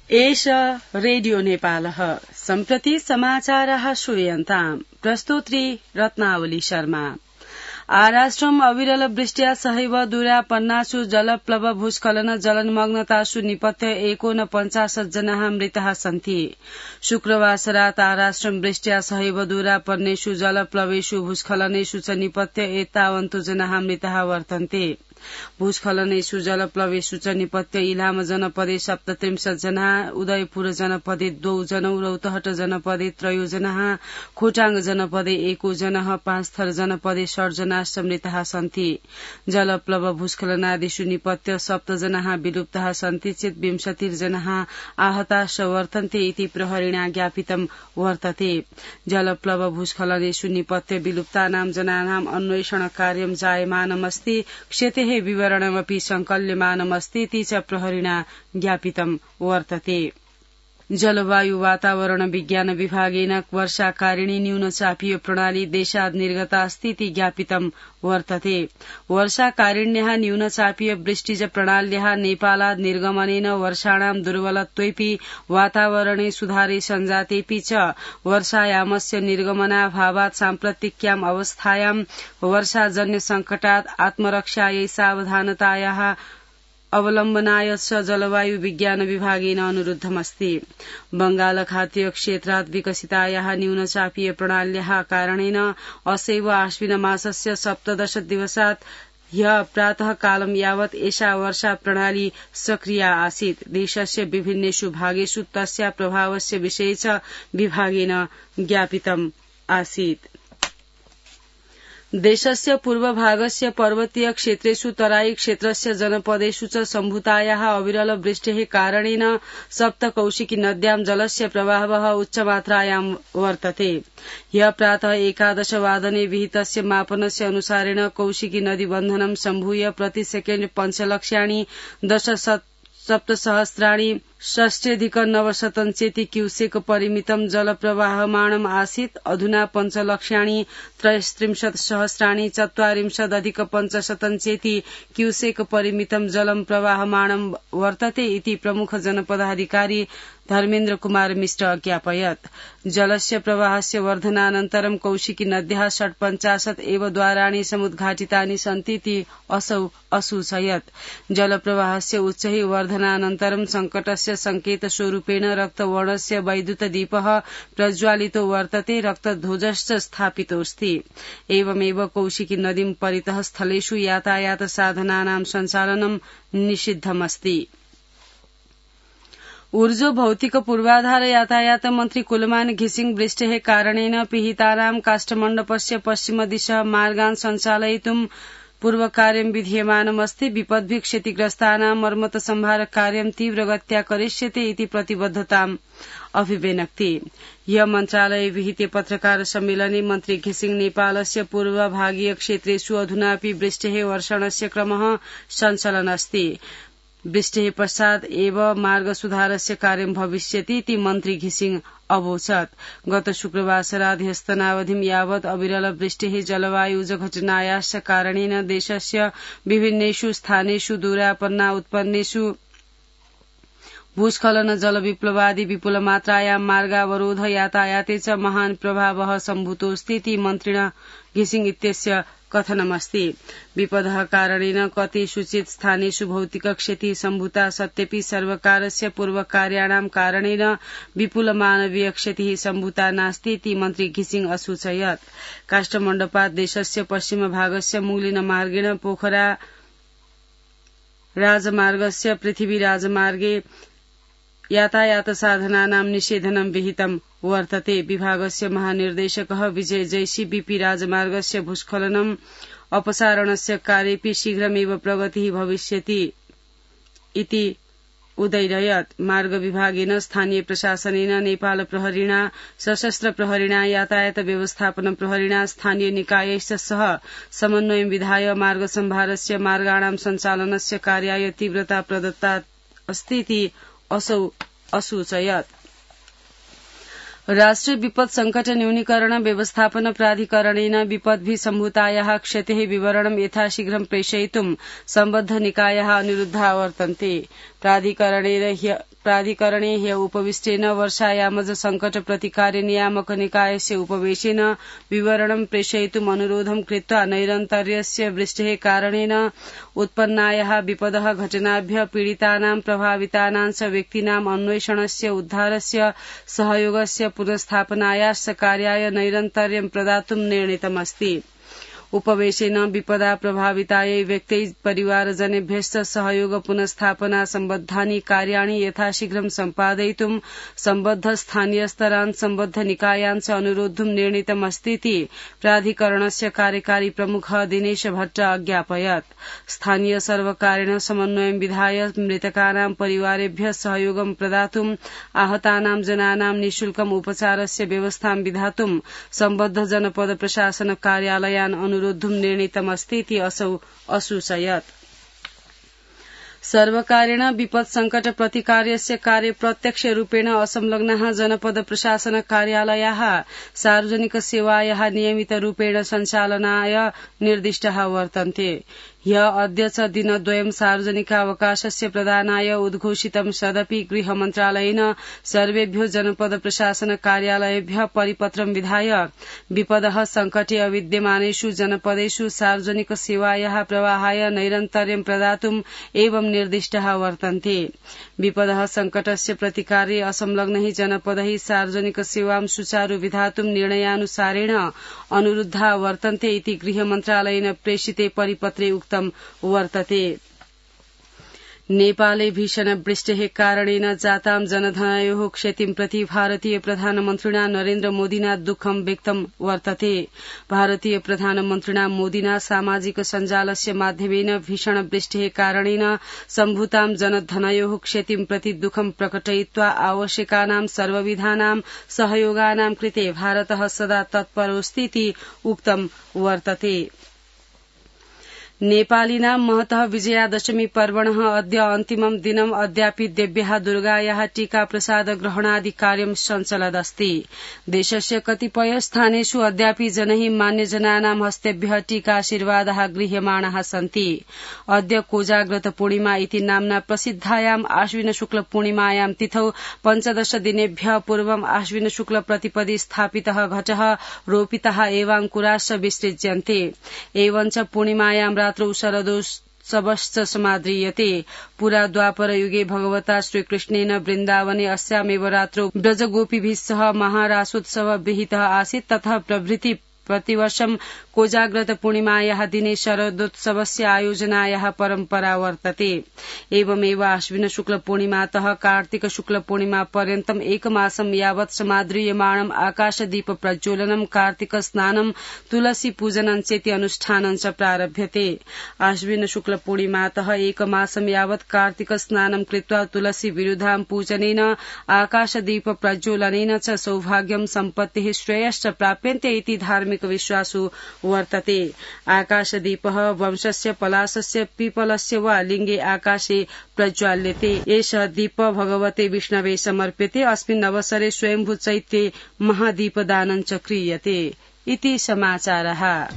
एष रेडियो नेपालः सम्प्रति समाचारः श्रूयन्ताम् प्रस्तोत्री रत्नावली शर्मा। आराष्ट्रम् अविरल वृष्ट्या सहैव दूरापन्नासु जलप्लव भूस्खलन जलमग्नतासु निपत्य 49 जनाः मृताः सन्ति। शुक्रवासरात् आराष्ट्रम् वृष्ट्या सहैव दूरापन्नेषु जलप्लवेषु भूस्खलनेषु च निपत्य एतावन्तु जनाः मृताः वर्तन्ते। भूस्खलनेषु जलप्लवेषु च निपत्य इलाम जनपदे 37 जनाः, उदयपुर जनपदे 2 जनौ, रौतहट जनपदे 3 जनाः, खोटाङ जनपदे 1 जनाः, पाँचथर जनपदे 60 जनाश्च मृताः सन्ति। जलप्लव भूस्खलनादिषु निपत्य 7 जनाः विलुप्ताः सन्ति चेत् 20 जनाः आहताश्च वर्तन्ते इति प्रहरिणा ज्ञापितं वर्तते। जलप्लव भूस्खलनेषु निपत्य विलुप्तानां जनानाम् अन्वेषण कार्यं जायमानमस्ति, क्षतेः विवरणमपि संकल्यमानमस्ति इति च प्रहरिणा ज्ञापितं वर्तते। जलवायु वातावरण विज्ञान विभागेन वर्षाकारिणी न्यूनचापीय प्रणाली देशाद् निर्गता अस्ति इति ज्ञापितं वर्तते। वर्षाकारिण्यः न्यूनचापीय वृष्टिज प्रणाल्याः नेपालाद् निर्गमनेन वर्षाणां दुर्बलत्वेऽपि वातावरणे सुधारे सञ्जातेऽपि च वर्षायामस्य निर्गमनाभावात् साम्प्रतिक्याम् अवस्थायां वर्षाजन्य संकटात् आत्मरक्षायै सावधानतायाः अवलम्बनाय च जलवायु विज्ञान विभागेन अनुरुद्धमस्ति। बंगालखातीय क्षेत्रात् विकसितायाः न्यूनचापीय प्रणाल्याः कारणेन असैव आश्विन मासस्य 17 दिवसात् ह्यः प्रातः कालं यावत् एषा वर्षा प्रणाली सक्रिया आसीत्। देशस्य विभिन्नेषु भागेषु तस्या प्रभावस्य विषये च विभागेन ज्ञापितम् आसीत्। देशस्य पूर्वभागस्य पर्वतीय क्षेत्रेषु तराई क्षेत्रस्य जनपदेषु च सम्भूतायाः अविरल वृष्टेः कारणेन सप्तकौशिकी नद्यां जलस्य प्रवाहः उच्चमात्रायां वर्तते। ह्यः प्रातः 11 वादने विहितस्य मापनस्य अनुसारेण कौशिकी नदीबन्धनं सम्भूय प्रति सेकेण्ड 5 लक्ष्याणि 10,700 षष्ट्यधिक-900 क्यूसेक परिमितं जलप्रवाहमाणम् आसीत्। अधुना 5 लक्ष्याणि 33,000 40,500 क्यूसेक परिमितं जलं प्रवाहमाणं वर्तते इति प्रमुख जनपदाधिकारी धर्मेन्द्र कुमार मिश्र अज्ञापयत्। जलस्य प्रवाहस्य वर्धनानन्तरं कौशिकी नद्याः 50 एव द्वाराणि समुद्घाटितानि सन्ति इति असौ असूचयत्। जलप्रवाहस्य उच्चैः वर्धनानन्तरं संकटस्य संकेतस्वरूपेण रक्तवर्णस्य वैद्युतदीपः प्रज्वालितो वर्तते, रक्तध्वजश्च स्थापितोऽस्ति। एवमेव कौशिकी नदीं परितः स्थलेषु यातायात साधनानां सञ्चालनं निषिद्धमस्ति। ऊर्जो भौतिक पूर्वाधार यातायात मन्त्री कुलमान घिसिङ वृष्टेः कारणेन पिहितानां काष्ठमण्डपस्य पश्चिमदिशः मार्गान् सञ्चालयितुं पूर्वकार्यं विधीयमानमस्ति। विपद्भिः क्षतिग्रस्तानां मर्मत संहार कार्यं तीव्रगत्या करिष्यते इति प्रतिबद्धताम् अभिव्यनक्ति। ह्यः मन्त्रालये विहिते पत्रकार सम्मेलने मन्त्री घिसिङ नेपालस्य पूर्वभागीय क्षेत्रेषु अधुनापि वृष्टेः वर्षणस्य क्रमः सञ्चलन् अस्ति। वृष्टेः पश्चात् एव मार्ग सुधारस्य कार्यं भविष्यति इति मन्त्री घिसिङ अवोचत्। गत शुक्रवासरात् ह्यस्तनावधिं यावत् अविरल वृष्टेः जलवायुज घटनायाश्च कारणेन देशस्य विभिन्नेषु स्थानेषु दूरापन्ना उत्पन्नेषु भूस्खलन जलविप्लवादि विपुलमात्रायां मार्गावरोध यातायाते च महान् प्रभावः सम्भूतोऽस्ति इति मन्त्रिणा घिसिङ इत्यस्य कथनमस्ति। विपदः कारणेन कतिषुचित् स्थानेषु भौतिक क्षतिः सम्भूता सत्यपि सर्वकारस्य पूर्वकार्याणां कारणेन विपुल मानवीय क्षतिः सम्भूता नास्ति इति मन्त्री घिसिङ असूचयत्। काष्ठमण्डपात् देशस्य पश्चिमभागस्य मूलिन मार्गेण पोखरा राजमार्गस्य पृथ्वी राजमार्गे यातायात साधनानां निषेधनं विहितं वर्तते। विभागस्य महानिर्देशकः विजय जैशी बीपी राजमार्गस्य भूस्खलनम् अपसारणस्य कार्येऽपि शीघ्रमेव प्रगतिः भविष्यति इति उदैरयत्। मार्ग विभागेन स्थानीय प्रशासनेन नेपाल प्रहरिणा सशस्त्र प्रहरिणा यातायात व्यवस्थापन प्रहरिणा स्थानीय निकायैश्च सह समन्वयं विधाय मार्ग सम्भारस्य मार्गाणां सञ्चालनस्य कार्याय तीव्रता प्रदत्ता अस्ति इति असौ असूचयत्। राष्ट्रिय विपद संकट न्यूनीकरण व्यवस्थापन प्राधिकरणेन विपद्भिः सम्भूतायाः क्षतेः विवरणं यथाशीघ्रं प्रेषयितुं सम्बद्ध निकायाः अनुरुद्धाः वर्तन्ते। प्राधिकरणे ह्य उपविष्टेन वर्षायामज संकट प्रतिकार नियामक निकायस्य उपवेशेन विवरणं प्रेषयितुम् अनुरोधं कृत्वा नैरन्तर्यस्य वृष्टेः कारणेन उत्पन्नायाः विपदः घटनाभ्यः पीडितानां प्रभावितानां च व्यक्तीनाम् अन्वेषणस्य उद्धारस्य सहयोगस्य पुनस्थापनायाश्च कार्याय नैरन्तर्यं प्रदातुं निर्णीतमस्ति। उपवेशेन विपदा प्रभावितायै व्यक्त्यै परिवारजनेभ्यश्च सहयोग पुनस्थापना सम्बद्धानि कार्याणि यथाशीघ्रं सम्पादयितुं सम्बद्ध स्थानीयस्तरान् सम्बद्ध निकायान् च अनुरोद्धुं निर्णीतमस्तीति प्राधिकरणस्य कार्यकारी प्रमुखः दिनेश भट्ट अज्ञापयत्। स्थानीय सर्वकारेण समन्वयं विधाय मृतकानां परिवारेभ्यः सहयोगं प्रदातुं आहतानां जनानां निःशुल्कम् उपचारस्य व्यवस्थां विधातुं सम्बद्ध जनपद प्रशासन कार्यालयान् अनुरोद्धुं निर्णीतमस्तीति असौ असूचयत्। सर्वकारेण विपद संकट प्रतिकारस्य कार्ये प्रत्यक्ष रूपेण असंलग्नाः जनपद प्रशासन कार्यालयाः सार्वजनिक सेवायाः नियमित रूपेण सञ्चालनाय निर्दिष्टाः वर्तन्ते। अद्य च दिनद्वयं सार्वजनिकावकाशस्य प्रदानाय उद्घोषितं सदपि गृह मन्त्रालयेन सर्वेभ्यो जनपद प्रशासन कार्यालयेभ्यः परिपत्रं विधाय विपदः संकटे अविद्यमानेषु जनपदेषु सार्वजनिक सेवायाः प्रवाहाय नैरन्तर्यं प्रदातुम् एवं निर्दिष्टाः वर्तन्ते। विपदः संकटस्य प्रतिकारे असंलग्नैः जनपदैः सार्वजनिक सेवां सुचारू विधातुं निर्णयानुसारेण अनुरुद्धा वर्तन्ते इति गृह मन्त्रालयेन प्रेषिते परिपत्रे उक्तम् वर्तते। नेपाले भीषण वृष्टेः कारणेन जातां जनधनयोः क्षतिं प्रति भारतीय प्रधानमन्त्रिणा नरेन्द्र मोदिना दुःखं व्यक्तं वर्तते। भारतीय प्रधानमन्त्रिणा मोदिना सामाजिक सञ्जालस्य माध्यमेन भीषण वृष्टेः कारणेन सम्भूतां जनधनयोः क्षतिं प्रति दुःखं प्रकटयित्वा आवश्यकानां सर्वविधानां सहयोगानां कृते भारतः सदा तत्परोऽस्तीति उक्तं वर्तते। नेपालिनां महतः विजयादशमी पर्वणः अद्य अन्तिमं दिनम् अद्यापि देव्याः दुर्गायाः टीका प्रसाद ग्रहणादि कार्यं सञ्चलदस्ति। देशस्य कतिपय स्थानेषु अद्यापि जनैः मान्यजनानां हस्तेभ्यः टीकाशीर्वादाः गृह्यमाणाः सन्ति। अद्य कोजाग्रत पूर्णिमा इति नाम्ना प्रसिद्धायाम् आश्विन शुक्ल पूर्णिमायां तिथौ 15 दिनेभ्यः पूर्वम् आश्विन शुक्ल प्रतिपदि स्थापितः घटः रोपितः एवाङ्कुराश्च विसृज्यन्ते। एवञ्च पूर्णिमायां रात्रौ शरदोत्सवश्च समाद्रियते। पुरा द्वापर युगे भगवता श्रीकृष्णेन वृन्दावने अस्यामेव रात्रौ ब्रजगोपीभिः सह महारासोत्सव विहितः आसीत्। तथा प्रभृति प्रतिवर्षं कोजाग्रत पूर्णिमायाः दिने शरदोत्सवस्य आयोजनायाः परम्परा वर्तते। एवमेव आश्विन शुक्ल पूर्णिमातः कार्तिक शुक्ल पूर्णिमा पर्यन्तम् एकमासं यावत् समाद्रियमाणम् आकाशदीप प्रज्वलनं, कार्तिक स्नानं, तुलसी पूजनं चेति अनुष्ठानं च प्रारभ्यते। आश्विन शुक्ल पूर्णिमातः एकमासं यावत् कार्तिक स्नानं कृत्वा तुलसी विरुधां पूजनेन, आकाशदीप प्रज्वलनेन च सौभाग्यं, सम्पत्तिः, श्रेयश्च प्राप्यन्ते इति धार्मिक विश्वासो वर्तते। आकाशदीपः वंशस्य, पलाशस्य, पीपलस्य वा लिङ्गे आकाशे प्रज्वाल्यते। एषः दीप भगवते विष्णवे समर्प्यते। अस्मिन् अवसरे स्वयंभू चैत्ये महादीपदानं च क्रियते इति समाचारः।